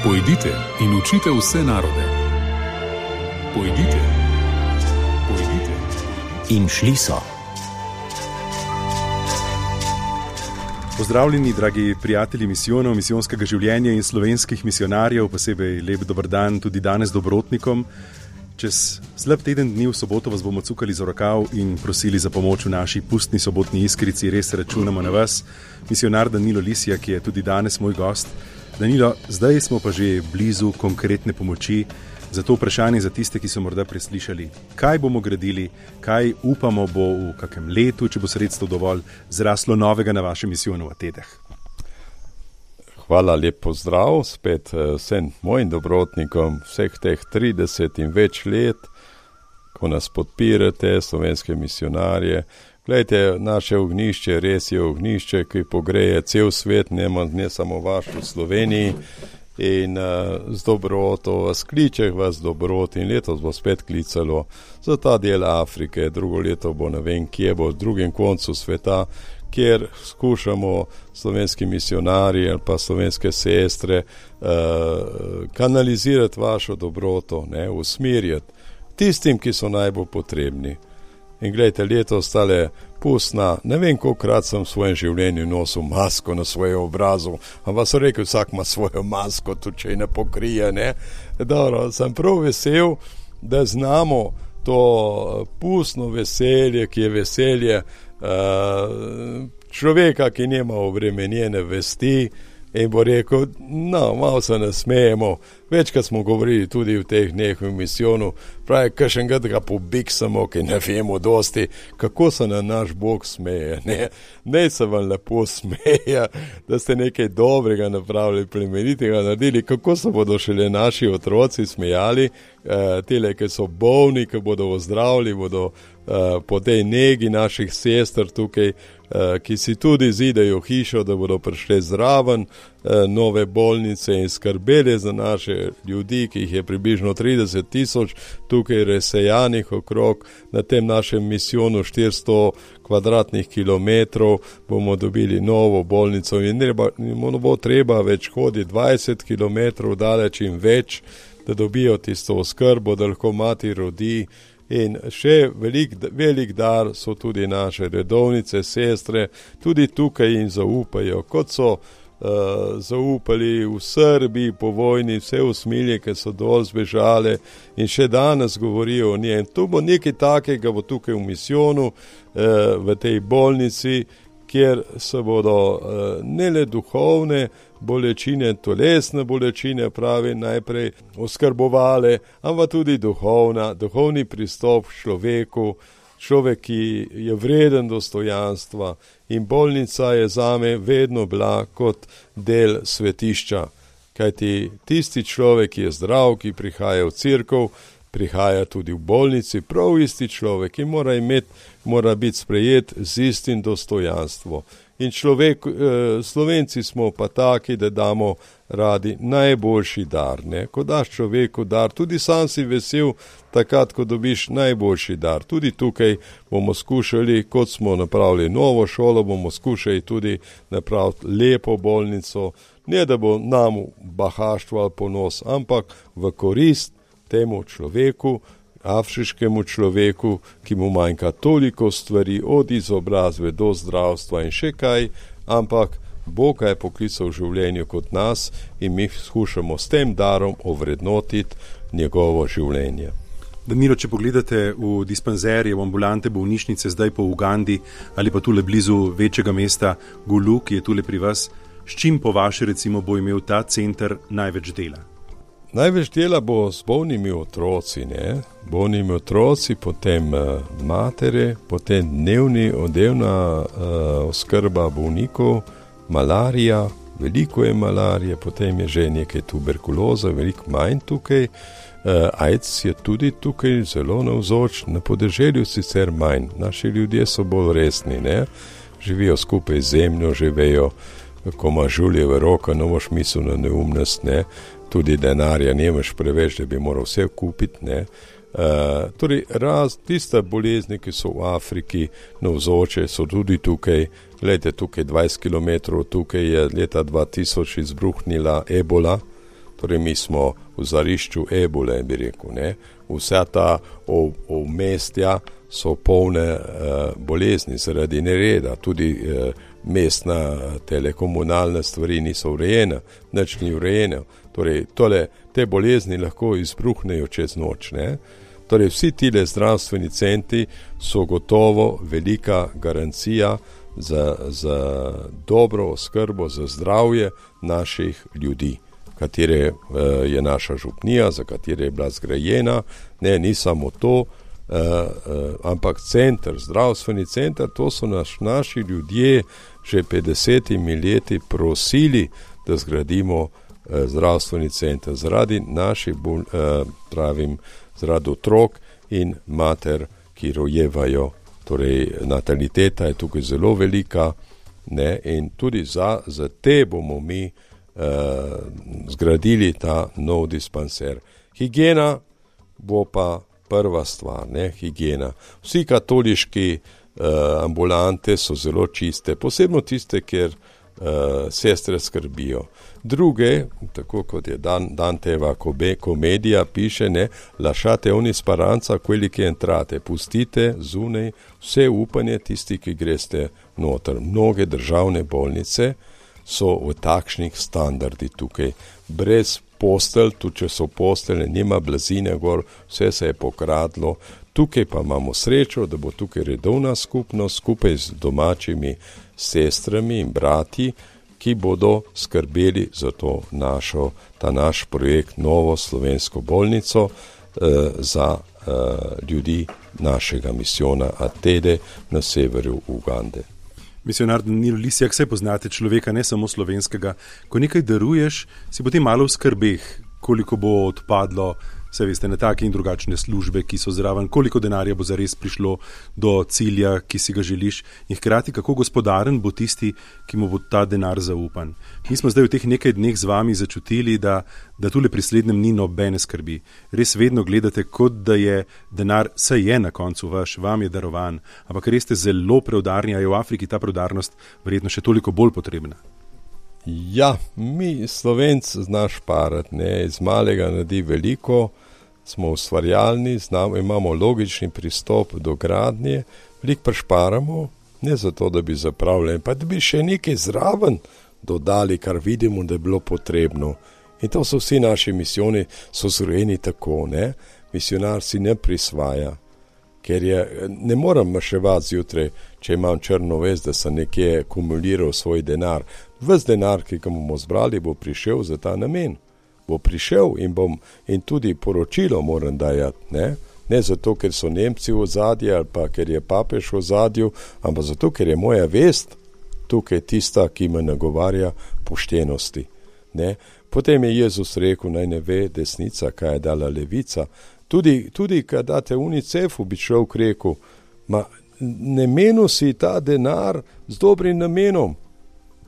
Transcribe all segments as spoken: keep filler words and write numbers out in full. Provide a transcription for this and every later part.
Pojdite in učite vse narode. Pojdite, pojdite. In šli so. Pozdravljeni, dragi prijatelji misijonov, misijonskega življenja in slovenskih misionarjev, posebej lep dober dan tudi danes dobrotnikom. Čez slab teden dni v soboto vas bomo cukali za rokav in prosili za pomoč v naši pustni sobotni iskrici. Res računamo na vas. Misionar Danilo Lisija, ki je tudi danes moj gost. Danilo, zdaj smo pa že blizu konkretne pomoči. Zato vprašanje za tiste, ki so morda preslišali, kaj bomo gradili, kaj upamo bo v kakem letu, če bo sredstvo dovolj, zraslo novega na vašem misijonu v Atenah. Hvala, lep pozdrav spet vsem mojim dobrotnikom vseh teh trideset in več let, ko nas podpirate, slovenske misionarje. Glejte, naše ognjišče res je ognjišče, ki pogreje cel svet, ne, ne samo vaš v Sloveniji. In uh, z dobroto vas kliče, vas dobrot in letos bo spet klicalo za ta del Afrike, drugo leto bo ne vem kje bo, v drugem koncu sveta, kjer skušamo slovenski misionari ali pa slovenske sestre uh, kanalizirati vašo dobroto, ne, usmerjati tistim, ki so najbolj potrebni. In gledajte, letos tale pustna, ne vem, kolikrat sem v svojem življenju nosil masko na svojem obrazu, ampak so rekel, vsak ima svojo masko, tudi če ne pokrije, ne. Dobro, sem prav vesel, da znamo to pustno veselje, ki je veselje uh, človeka, ki nima obremenjene vesti, in bo rekel, no, malo se nasmejemo. Večkrat smo govorili tudi v teh dneh v misijonu, pravi, kakšnega ga pobiksamo, ki ne vemo dosti, kako se na naš Bog smeje. Ne, ne se vam lepo smeje, da ste nekaj dobrega napravili, plemenitega naredili, kako se bodo šele naši otroci smejali, eh, tele, ki so bolni, ki bodo ozdravili, bodo eh, po tej negi naših sester tukaj, eh, ki si tudi zidajo hišo, da bodo prišli zraven eh, nove bolnice in skrbeli za naše ljudi, ki jih je približno trideset tisoč tukaj razsejanih okrog. Na tem našem misijonu štiristo kvadratnih kilometrov bomo dobili novo bolnico in ne bo treba več hoditi dvajset kilometrov daleč in več, da dobijo tisto oskrbo, da lahko mati rodi. In še velik, velik dar so tudi naše redovnice, sestre, tudi tukaj jim zaupajo, kot so Uh, zaupali v Srbiji po vojni, vse usmilje, ki so dol zbežale in še danes govorijo o njej. In tu bo nekaj takega, bo tukaj v misijonu, uh, v tej bolnici, kjer se bodo uh, ne le duhovne bolečine, telesne bolečine, pravi, najprej oskrbovale, ampak tudi duhovna, duhovni pristop človeku, človek, ki je vreden dostojanstva, in bolnica je zame vedno bila kot del svetišča. Kajti tisti človek, ki je zdrav, ki prihaja v cerkev, prihaja tudi v bolnici, prav isti človek, ki mora imeti, mora biti sprejet z istim dostojanstvom. In človek, eh, Slovenci smo pa taki, da damo radi najboljši dar, ne? Ko daš človeku dar, tudi sam si vesel, takrat, ko dobiš najboljši dar. Tudi tukaj bomo skušali, kot smo napravili novo šolo, bomo skušali tudi napraviti lepo bolnico, ne da bo nam bahaštvo ali ponos, ampak v korist temu človeku, afriškemu človeku, ki mu manjka toliko stvari, od izobrazbe do zdravstva in še kaj, ampak Bog je poklical v življenju kot nas in mi skušamo s tem darom ovrednotiti njegovo življenje. Danilo, če pogledate v dispanzerje, v ambulante, bolnišnice, zdaj po Ugandi ali pa tule blizu večjega mesta Gulu, ki je tule pri vas, s čim po vaše recimo bo imel ta center največ dela? Največ dela bo s bolnimi otroci, ne? Bolnimi otroci, potem uh, matere, potem dnevni, oddelna uh, oskrba bolnikov, malarija, veliko je malarije, potem je že nekaj tuberkuloza, veliko manj tukaj, uh, AIDS je tudi tukaj zelo navzoč, na podeželju sicer manj, naši ljudje so bolj resni, ne? Živijo skupaj z zemljo, živijo, ko ima žuljeve roka, no boš mislil na neumnost, ne? Tudi denarja nemaš preveč, da bi moral vse kupiti, ne. Uh, torej, raz, tiste bolezni, ki so v Afriki navzoče, so tudi tukaj. Gledajte, tukaj dvajset kilometrov, tukaj je leta dva tisoč izbruhnila ebola, torej mi smo v zarišču ebole, bi rekel, ne. Vsa ta obmestja so polne uh, bolezni zaradi nereda, tudi uh, mestna telekomunalne stvari niso urejene, nič ni urejene. Torej, tole, te bolezni lahko izbruhnejo čez noč, ne. Torej, vsi tile zdravstveni centri so gotovo velika garancija za, za dobro oskrbo, za zdravje naših ljudi, katere uh, je naša župnija, za katere je bila zgrajena. Ne, ni samo to, uh, uh, ampak center, zdravstveni center, to so naš, naši ljudje že pred desetimi leti prosili, da zgradimo uh, zdravstveni center zaradi naših, uh, pravim, zaradi otrok in mater, ki rojevajo. Torej, nataliteta je tukaj zelo velika, ne, in tudi za, za te bomo mi uh, zgradili ta nov dispanser. Higiena bo pa prva stvar, ne, higiena. Vsi katoliški uh, ambulante so zelo čiste, posebno tiste, kjer uh, sestre skrbijo. Druge, tako kot je Dan, Danteva komedija, piše, ne, lasciate ogni speranza quelli che entrate, pustite zunaj vse upanje tisti, ki greste noter. Mnoge državne bolnice so v takšnih standardi tukaj, brez postelj, tudi če so postelje, nima blazine gor, vse se je pokradlo. Tukaj pa imamo srečo, da bo tukaj redovna skupnost skupaj z domačimi sestrami in brati, ki bodo skrbeli za to našo, ta naš projekt, novo slovensko bolnico eh, za eh, ljudi našega misijona Atede na severu Ugande. Misionar Danilo Lisjak, saj poznate človeka, ne samo slovenskega. Ko nekaj daruješ, si potem malo v skrbeh, koliko bo odpadlo, saj veste, na take in drugačne službe, ki so zraven, koliko denarja bo zares prišlo do cilja, ki si ga želiš, in hkrati kako gospodaren bo tisti, ki mu bo ta denar zaupan. Mi smo zdaj v teh nekaj dneh z vami začutili, da, da tule pri slednjem ni nobene skrbi. Res vedno gledate, kot da je denar, saj je na koncu vaš, vam je darovan, ampak res ste zelo preudarni, a je v Afriki ta preudarnost verjetno še toliko bolj potrebna. Ja, mi Slovenci znaš šparati, ne, iz malega naredi veliko, smo ustvarjalni, znamo, imamo logični pristop do gradnje, veliko prešparamo, ne zato, da bi zapravljali, pa da bi še nekaj zraven dodali, kar vidimo, da je bilo potrebno. In to so vsi naši misijoni, so zrojeni tako, ne, misionar si ne prisvaja, ker je, ne moram maševati zjutraj, če imam črno vest, da sem nekje kumuliral svoj denar. Ves denar, ki ga bomo zbrali, bo prišel za ta namen. Bo prišel in bom, in tudi poročilo moram dajati, ne? Ne zato, ker so Nemci v ozadju ali pa ker je papež v ozadju, ampak zato, ker je moja vest tukaj tista, ki me nagovarja poštenosti, ne? Potem je Jezus rekel, naj ne ve desnica, kaj je dala levica. Tudi, tudi kad date UNICEF-u, bi človek rekel, ma ne menu si ta denar z dobrim namenom,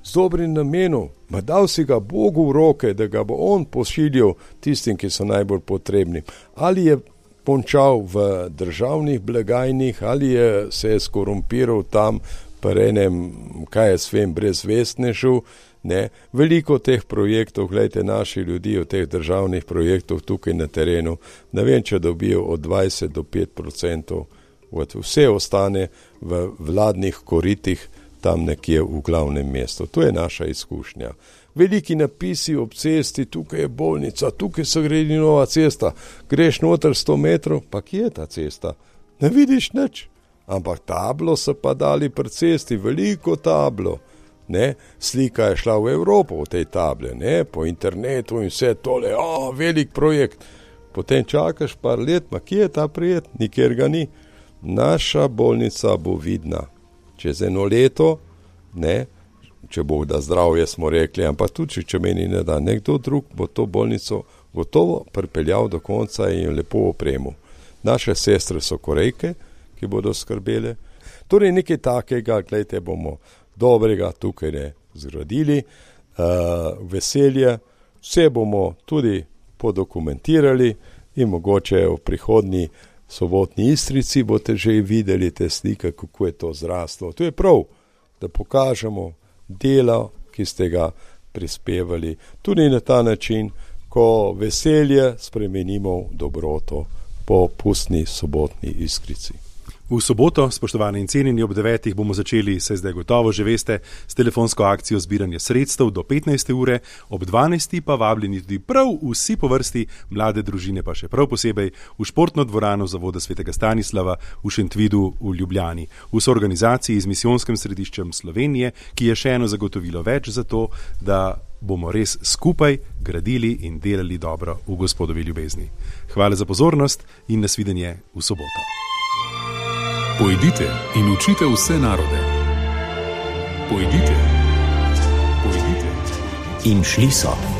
z dobrim namenom, ma dal si ga Bogu v roke, da ga bo on pošiljal tistim, ki so najbolj potrebni. Ali je končal v državnih blagajnih, ali je se je skorumpiral tam pri enem, kaj je svem, brezvestnežu, ne, veliko teh projektov, gledajte, naši ljudi v teh državnih projektov tukaj na terenu, ne vem, če dobijo od dvajset do pet procentov, vse ostane v vladnih koritih tam nekje v glavnem mestu. To je naša izkušnja. Veliki napisi ob cesti, tukaj je bolnica, tukaj se gredi nova cesta, greš noter sto metrov, pa kje je ta cesta? Ne vidiš nič, ampak tablo so pa dali pri cesti, veliko tablo. Ne, slika je šla v Evropo v tej table, ne, po internetu in vse tole, o, velik projekt. Potem čakaš par let, ma kje je ta projekt? Nikjer ga ni. Naša bolnica bo vidna. Čez eno leto, ne, če bo da zdravje, smo rekli, ampak tudi, če meni ne da, nekdo drug bo to bolnico gotovo pripeljal do konca in lepo opremo. Naše sestre so Korejke, ki bodo skrbele. Torej nekaj takega, gledajte, bomo dobrega tukaj ne zgradili, uh, veselje, vse bomo tudi podokumentirali in mogoče v prihodnji sobotni Istrici boste že videli te slike, kako je to zraslo. To je prav, da pokažemo delo, ki ste ga prispevali, tudi na ta način ko veselje spremenimo v dobroto po pustni sobotni iskrici. V soboto, spoštovani in cenjeni, ob devetih bomo začeli, se zdaj gotovo že veste, s telefonsko akcijo zbiranja sredstev do petnajste ure, ob dvanajsti pa vabljeni tudi prav vsi po vrsti, mlade družine pa še prav posebej, v športno dvorano Zavoda svetega Stanislava v Šentvidu v Ljubljani, v soorganizaciji z Misijonskim središčem Slovenije, ki je še eno zagotovilo več za to, da bomo res skupaj gradili in delali dobro v Gospodovi ljubezni. Hvala za pozornost in nasvidenje v soboto. Pojdite in učite vse narode. Pojdite. Pojdite. In šli so.